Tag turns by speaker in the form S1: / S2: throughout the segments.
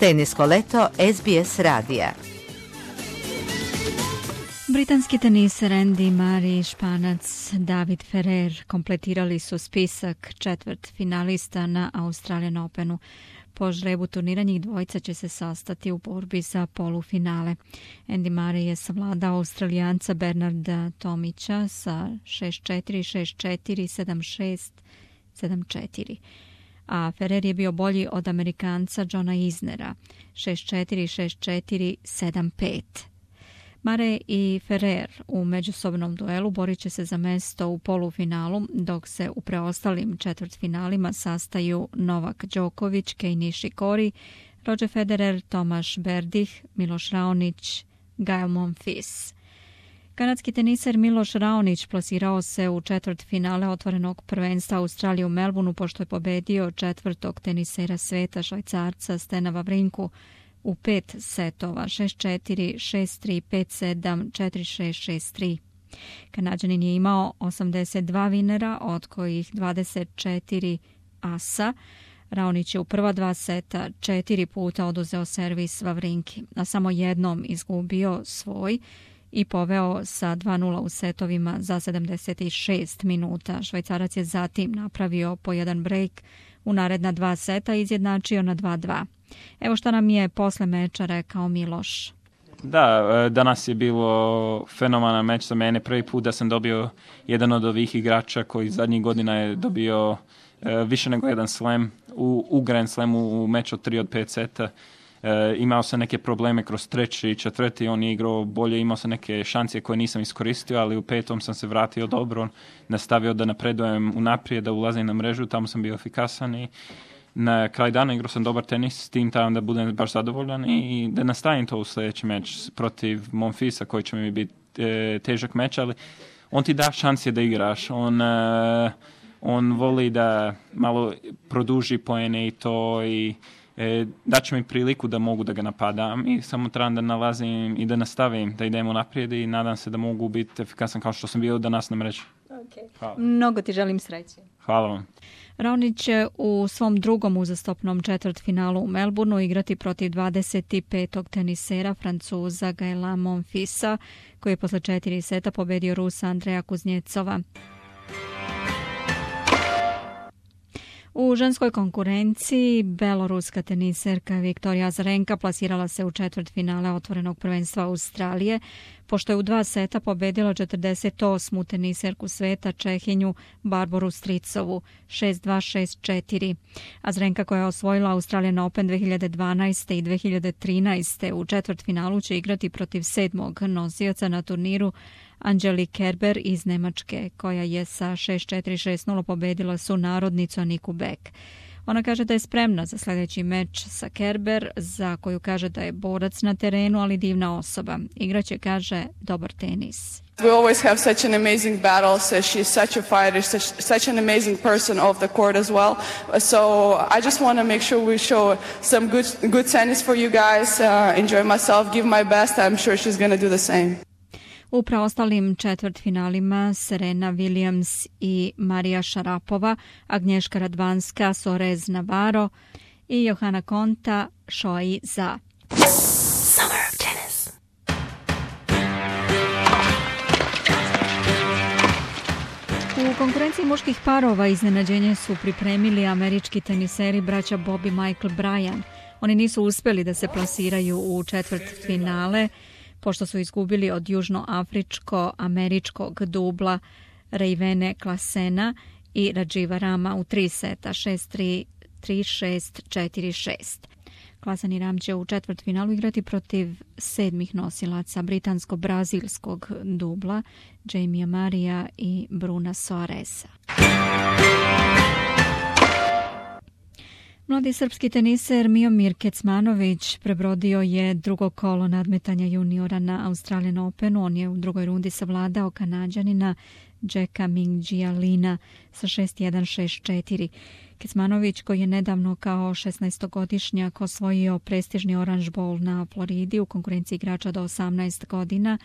S1: Tenisko leto SBS radija.
S2: Britanski teniser Andy Murray i Španac David Ferrer kompletirali su spisak četvrt finalista na Australian Openu. Po žrebu turnira njih dvojica će se sastati u borbi za polufinale. Andy Murray je savladao Australijanca Bernarda Tomića sa 6-4, 6-4, 7-6, 7-4. A Ferrer je bio bolji od Amerikanca Johna Isnera 6-4, 6-4, 7-5. Murray i Ferrer u međusobnom duelu borit će se za mesto u polufinalu, dok se u preostalim četvrtfinalima sastaju Novak Đoković, Kei Nishikori, Roger Federer, Tomaš Berdih, Miloš Raonić, Gael Monfils. Kanadski teniser Miloš Raonić plasirao se u četvrtfinale otvorenog prvenstva Australije u Melbourneu pošto je pobedio četvrtog tenisera sveta Švajcarca Stena Vavrinku u 5 setova 6-4, 6-3, 5-7, 4-6, 6-3. Kanađanin je imao 82 vinera, od kojih 24 asa. Raonić je u prva dva seta 4 puta oduzeo servis Vavrinki, a samo jednom izgubio svoj i poveo sa 2-0 u setovima za 76 minuta. Švajcarac je zatim napravio po jedan break u naredna dva seta i izjednačio na 2-2. Evo šta nam je posle meča rekao Miloš.
S3: Da, danas je bilo fenomenalan meč za mene. Prvi put da sam dobio jedan od ovih igrača koji zadnjih godina je dobio više nego jedan slam u Grand Slamu u meču 3 od 5 seta. Imao sam neke probleme kroz treći i četvrti, on je igrao bolje, imao sam neke šanse koje nisam iskoristio, ali u petom sam se vratio dobro, nastavio da napredujem unaprijed, da ulazim na mrežu, tamo sam bio efikasan i na kraj dana igrao sam dobar tenis, s tim tamo da budem baš zadovoljan i da nastavim to u sljedeći meč protiv Monfilsa koji će mi biti težak meč, ali on ti da šanse da igraš, on voli da malo produži poene i to i daće mi priliku da mogu da ga napadam i samo trebam da nalazim i da nastavim, da idemo naprijed i nadam se da mogu biti efikasan kao što sam bio danas na mreži.
S2: Okay. Mnogo ti želim sreće.
S3: Hvala vam.
S2: Raonić će u svom drugom uzastopnom četvrtfinalu u Melbourneu igrati protiv 25. tenisera Francuza Gaela Monfilsa, koji je posle 4 seta pobedio Rusa Andreja Kuznjecova. U ženskoj konkurenciji beloruska teniserka Viktorija Azarenka plasirala se u četvrtfinale otvorenog prvenstva Australije, pošto je u 2 seta pobedila 48. teniserku sveta Čehinju Barboru Stricovu 6-2, 6-4. Azarenka, koja je osvojila Australian Open 2012. i 2013. u četvrtfinalu će igrati protiv 7. nosioca na turniru Angelique Kerber iz Nemačke, koja je sa 6-4, 6-0 pobedila sunarodnicu Aniku Beck. Ona kaže da je spremna za sljedeći meč sa Kerber, za koju kaže da je borac na terenu, ali divna osoba. Igraće, kaže, dobar tenis.
S4: We always have such an amazing battle, so she's such a fighter, such an amazing person off the court as well. So I just want to make sure we show some good tennis for you guys, enjoy myself, give my best. I'm sure she's going to do the same.
S2: U preostalim četvrtfinalima Serena Williams i Marija Šarapova, Agnješka Radvanska, Sorez Navarro i Johana Konta, Šoi Za.
S1: Summer of Tennis.
S2: U konkurenciji muških parova iznenađenje su pripremili američki teniseri braća Bob i Michael Bryan. Oni nisu uspjeli da se plasiraju u četvrtfinale, pošto su izgubili od južnoafričko-američkog dubla Rejvene Klasena i Radživa Rama u 3 seta 6-3, 3-6, 4-6. Klasen i Ram će u četvrtfinalu igrati protiv 7. nosilaca britansko-brazilskog dubla Jamie Marija i Bruna Soaresa. Mladi srpski teniser Miomir Kecmanović prebrodio je drugo kolo nadmetanja juniora na Australian Openu. On je u drugoj rundi savladao Kanađanina Jacka Mingjia Lina sa 6-1, 6-4. Kecmanović, koji je nedavno kao 16-godišnjak osvojio prestižni Orange Bowl na Floridi u konkurenciji igrača do 18 godina,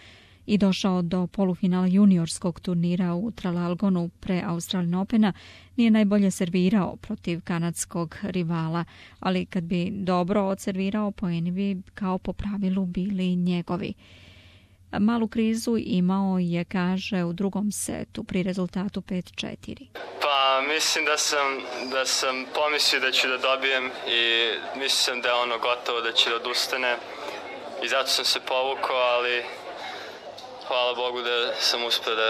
S2: i došao do polufinala juniorskog turnira u Traralgonu pre Australian Opena, nije najbolje servirao protiv kanadskog rivala, ali kad bi dobro odservirao, poeni bi kao po pravilu bili njegovi. Malu krizu imao je, kaže, u drugom setu pri rezultatu 5-4.
S5: Pa mislim da sam pomislio da ću da dobijem i mislio sam da je ono gotovo, da će da odustane i zato sam se povukao, ali hvala Bogu da sam uspio da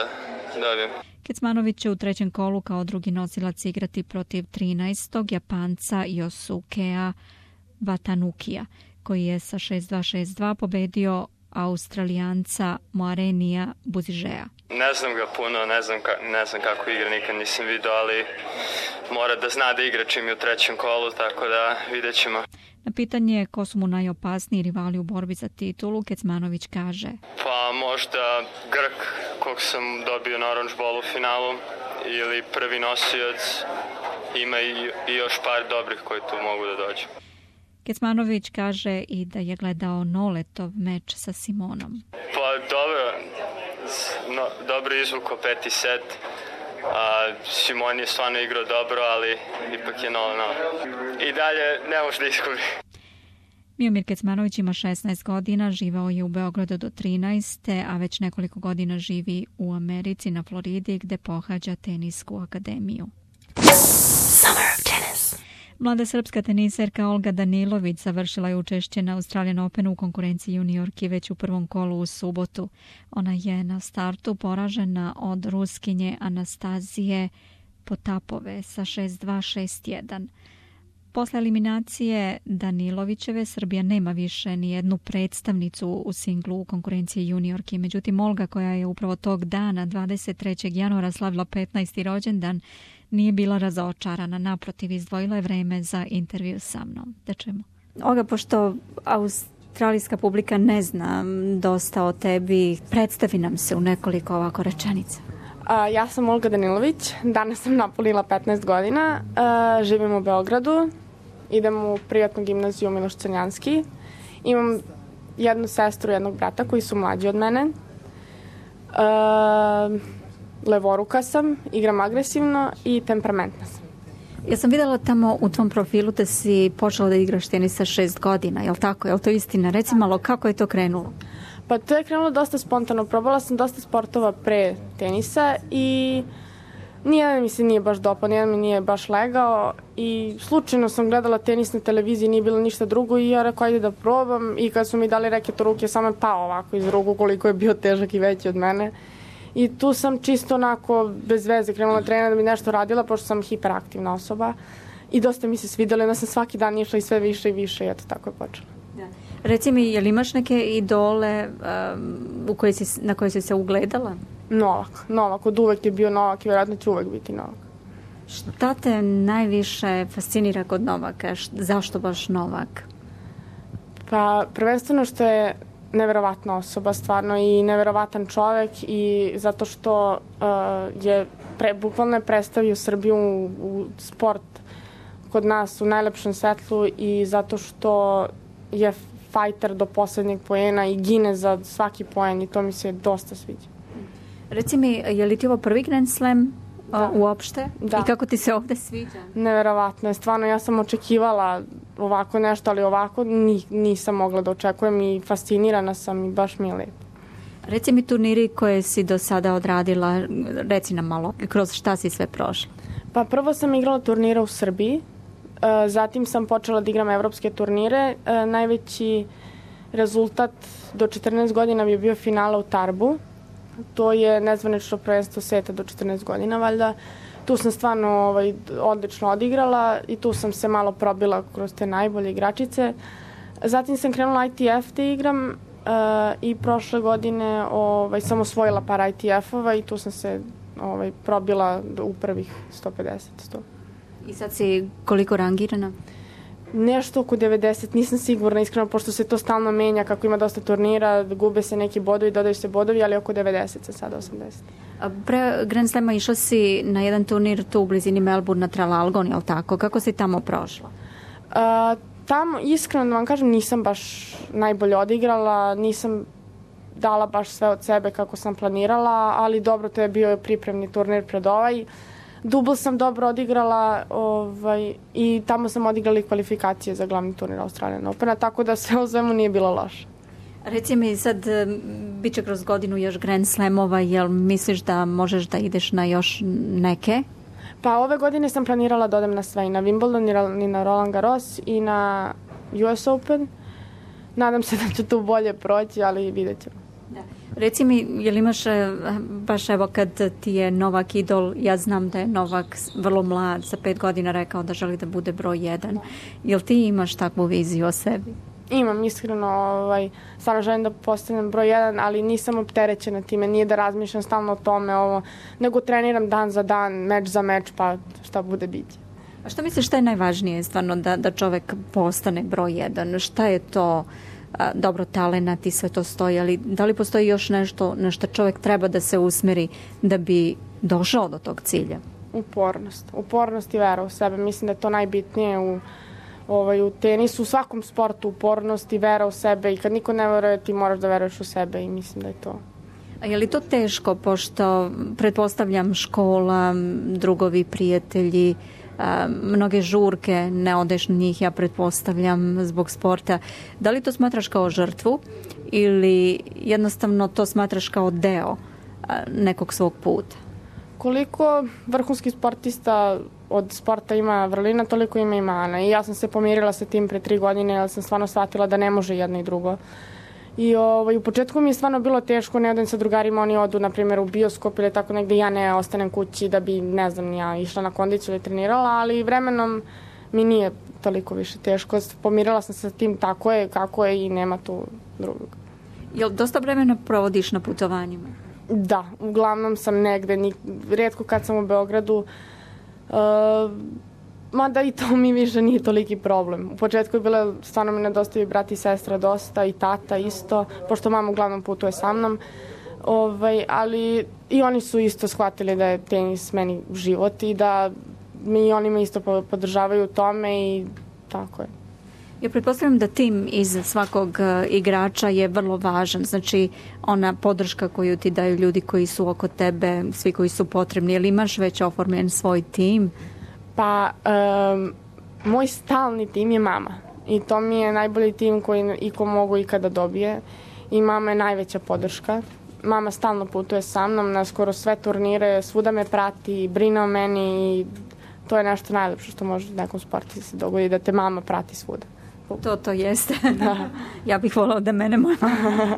S5: dobijem.
S2: Kecmanović će u trećem kolu kao drugi nosilac igrati protiv 13. Japanca Yosukea Watanukija, koji je sa 6-2-6-2 pobedio Australijanca Moarenija Buzižeja.
S5: Ne znam ga puno, ne znam kako igra, nikad nisam vidio, ali mora da zna da igra čim je u trećem kolu, tako da vidjet ćemo.
S2: Na pitanje ko su mu najopasniji rivali u borbi za titulu, Kecmanović kaže:
S5: Pa možda Grk, kog sam dobio na Orange Ballu u finalu, ili prvi nosioc, ima i još par dobrih koji tu mogu da dođu.
S2: Kecmanović kaže i da je gledao Noletov meč sa Simonom.
S5: Pa dobro izvuko peti set. Simon je stvarno igrao dobro, ali ipak je 0-0. I dalje ne može da izgubi.
S2: Miomir Kecmanović ima 16 godina, živao je u Beogradu do 13. a već nekoliko godina živi u Americi na Floridi gde pohađa tenisku akademiju.
S1: Summer of Tennis.
S2: Mlada srpska teniserka Olga Danilović završila je učešće na Australian Openu u konkurenciji juniorki već u prvom kolu u subotu. Ona je na startu poražena od Ruskinje Anastazije Potapove sa 6-2-6-1. Posle eliminacije Danilovićeve, Srbija nema više ni jednu predstavnicu u singlu u konkurenciji juniorki. Međutim, Olga, koja je upravo tog dana, 23. januara, slavila 15. rođendan, nije bila razočarana. Naprotiv, izdvojila je vreme za intervju sa mnom. Da čujemo. Olga, pošto australijska publika ne zna dosta o tebi, predstavi nam se u nekoliko ovako rečenica.
S6: Ja sam Olga Danilović, danas sam napunila 15 godina, živim u Beogradu, idem u privatnu gimnaziju Miloš Crnjanski, imam jednu sestru i jednog brata koji su mlađi od mene, levoruka sam, igram agresivno i temperamentna sam.
S2: Ja sam videla tamo u tvom profilu da si počela da igraš tenis sa 6 godina, je li tako? Je li to istina? Reci malo, kako je to krenulo?
S6: Pa to je krenulo dosta spontano. Probala sam dosta sportova pre tenisa i nijedan mi se nije baš dopao, nijedan mi nije baš legao i slučajno sam gledala tenis na televiziji, nije bilo ništa drugo i ja rekao ajde da probam i kad su mi dali reket u ruke samo je pao ovako iz ruku koliko je bio težak i veći od mene. I tu sam čisto onako bez veze krenula trenera da bi nešto radila pošto sam hiperaktivna osoba i dosta mi se svidjelo, onda sam svaki dan išla i sve više i više i eto tako je počela.
S2: Reci mi, je li imaš neke idole na koje si se ugledala?
S6: Novak, od uvek je bio Novak i vjerojatno će uvek biti Novak.
S2: Šta te najviše fascinira kod Novaka? Zašto baš Novak?
S6: Pa prvenstveno što je neverovatna osoba stvarno i neverovatan čovek i zato što je bukvalno je predstavio Srbiju u sport kod nas u najlepšem svetlu i zato što je fajter do poslednjeg poena i gine za svaki poen i to mi se dosta sviđa.
S2: Reci mi, je li ti ovo prvi Grand Slam uopšte?
S6: Da.
S2: I kako ti se ovde sviđa?
S6: Neverovatno je, stvarno ja sam očekivala ovako nešto, ali ovako nisam mogla da očekujem i fascinirana sam i baš mi je lepo.
S2: Reci mi turniri koje si do sada odradila, reci nam malo, kroz šta si sve prošla?
S6: Pa prvo sam igrala turnire u Srbiji, zatim sam počela da igram evropske turnire. Najveći rezultat do 14 godina bi bio finala u Tarbu. To je nezvanično prvenstvo sveta do 14 godina, valjda. Tu sam stvarno odlično odigrala i tu sam se malo probila kroz te najbolje igračice. Zatim sam krenula ITF da igram i prošle godine sam osvojila par ITF-ova i tu sam se probila u prvih 150-100.
S2: I sad si koliko rangirana?
S6: Nešto oko 90, nisam sigurna iskreno, pošto se to stalno menja, kako ima dosta turnira, gube se neki bodovi, dodaju se bodovi, ali oko 90 sa sada 80.
S2: Pre Grand Slema išla si na jedan turnir tu u blizini Melbourne na Traralgon, je li tako? Kako si tamo prošla?
S6: Tamo, iskreno da vam kažem, nisam baš najbolje odigrala, nisam dala baš sve od sebe kako sam planirala, ali dobro, to je bio pripremni turnir pred ovaj. Dubl sam dobro odigrala i tamo sam odigrala i kvalifikacije za glavni turnir Australian Opena, tako da sve u svemu nije bilo loše.
S2: Reci mi sad, bit će kroz godinu još Grand Slamova, jel misliš da možeš da ideš na još neke?
S6: Pa ove godine sam planirala da odem na sve, i na Wimbledon, i na Roland Garros, i na US Open. Nadam se da ću tu bolje proći, ali vidjet ćemo.
S2: Reci mi, jel imaš, baš evo kad ti je Novak idol, ja znam da je Novak vrlo mlad, sa 5 godina rekao da želi da bude broj 1. Jel ti imaš takvu viziju o sebi?
S6: Imam, iskreno, stvarno želim da postanem broj 1, ali nisam opterećena time, nije da razmišljam stalno o tome, nego treniram dan za dan, meč za meč, pa šta bude biće.
S2: A što misliš šta je najvažnije stvarno da čovek postane broj 1? Šta je to? Dobro, talenat i sve to stoji, ali da li postoji još nešto na što čovjek treba da se usmeri da bi došao do tog cilja?
S6: Upornost i vera u sebe. Mislim da je to najbitnije u tenisu, u svakom sportu, upornost i vera u sebe, i kad niko ne veruje, ti moraš da veruješ u sebe, i mislim da je to.
S2: A je li to teško, pošto pretpostavljam škola, drugovi, prijatelji, mnoge žurke, ne odeš na njih, ja pretpostavljam, zbog sporta. Da li to smatraš kao žrtvu ili jednostavno to smatraš kao deo nekog svog puta?
S6: Koliko vrhunskih sportista od sporta ima vrlina, toliko ima i mana. I ja sam se pomirila sa tim pre 3 godine, jer sam stvarno shvatila da ne može jedno i drugo. I u početku mi je stvarno bilo teško, ne odem sa drugarima, oni odu, na primjer, u bioskop ili tako negde, ja ne ostanem kući da bi, ne znam, ja išla na kondiciju ili trenirala, ali vremenom mi nije toliko više teško. Pomirila sam se sa tim, tako je, kako je, i nema tu drugog.
S2: Jel dosta vremena provodiš na putovanjima?
S6: Da, uglavnom sam negde, rijetko kad sam u Beogradu, mada i to mi više nije toliki problem. U početku je bilo, stvarno mi nedostaju brat i sestra dosta, i tata isto, pošto mama uglavnom putuje sa mnom. Ali i oni su isto shvatili da je tenis meni život i da oni me isto podržavaju u tome, i tako je.
S2: Ja pretpostavljam da tim iz svakog igrača je vrlo važan, znači ona podrška koju ti daju ljudi koji su oko tebe, svi koji su potrebni. Jel imaš već oformljen svoj tim?
S6: Pa, moj stalni tim je mama, i to mi je najbolji tim koji iko mogu ikada dobije, i mama je najveća podrška. Mama stalno putuje sa mnom na skoro sve turnire, svuda me prati, brine o meni, i to je nešto najlepše što može nekom sportu se dogodi, da te mama prati svuda.
S2: To jeste. Da. Ja bih volao da mene moja mama.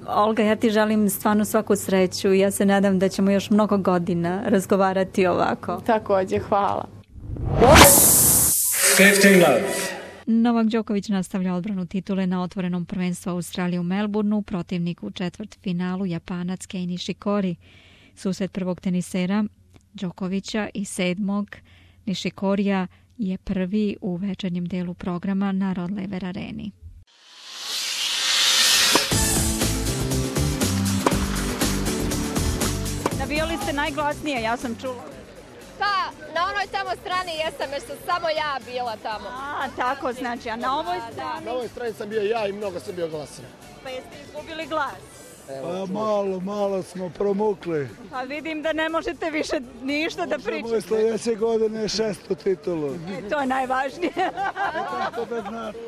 S2: Olga, ja ti želim stvarno svaku sreću. Ja se nadam da ćemo još mnogo godina razgovarati ovako.
S6: Takođe, hvala.
S7: 15 love.
S2: Novak Đoković nastavlja odbranu titule na otvorenom prvenstvu Australije u Melbourneu, protivnik u četvrtfinalu Japanac Kei Nishikori. Susret prvog tenisera Đokovića i 7. Nishikorija je prvi u večernjem delu programa na Rod Laver Areni. Navijali ste najglasnije, ja sam čula.
S8: Pa, na onoj tamo strani jesam, jer sam samo ja bila tamo.
S2: A, tako znači, a na ovoj strani?
S9: Na ovoj strani sam bio ja i mnogo sam bio glasan.
S2: Pa jeste izgubili glas?
S9: Pa malo smo promukli.
S2: Pa vidim da ne možete više ništa da pričate.
S9: Možemo i sljedeće godine 600 titulu.
S2: To je najvažnije.
S9: Tako da znate.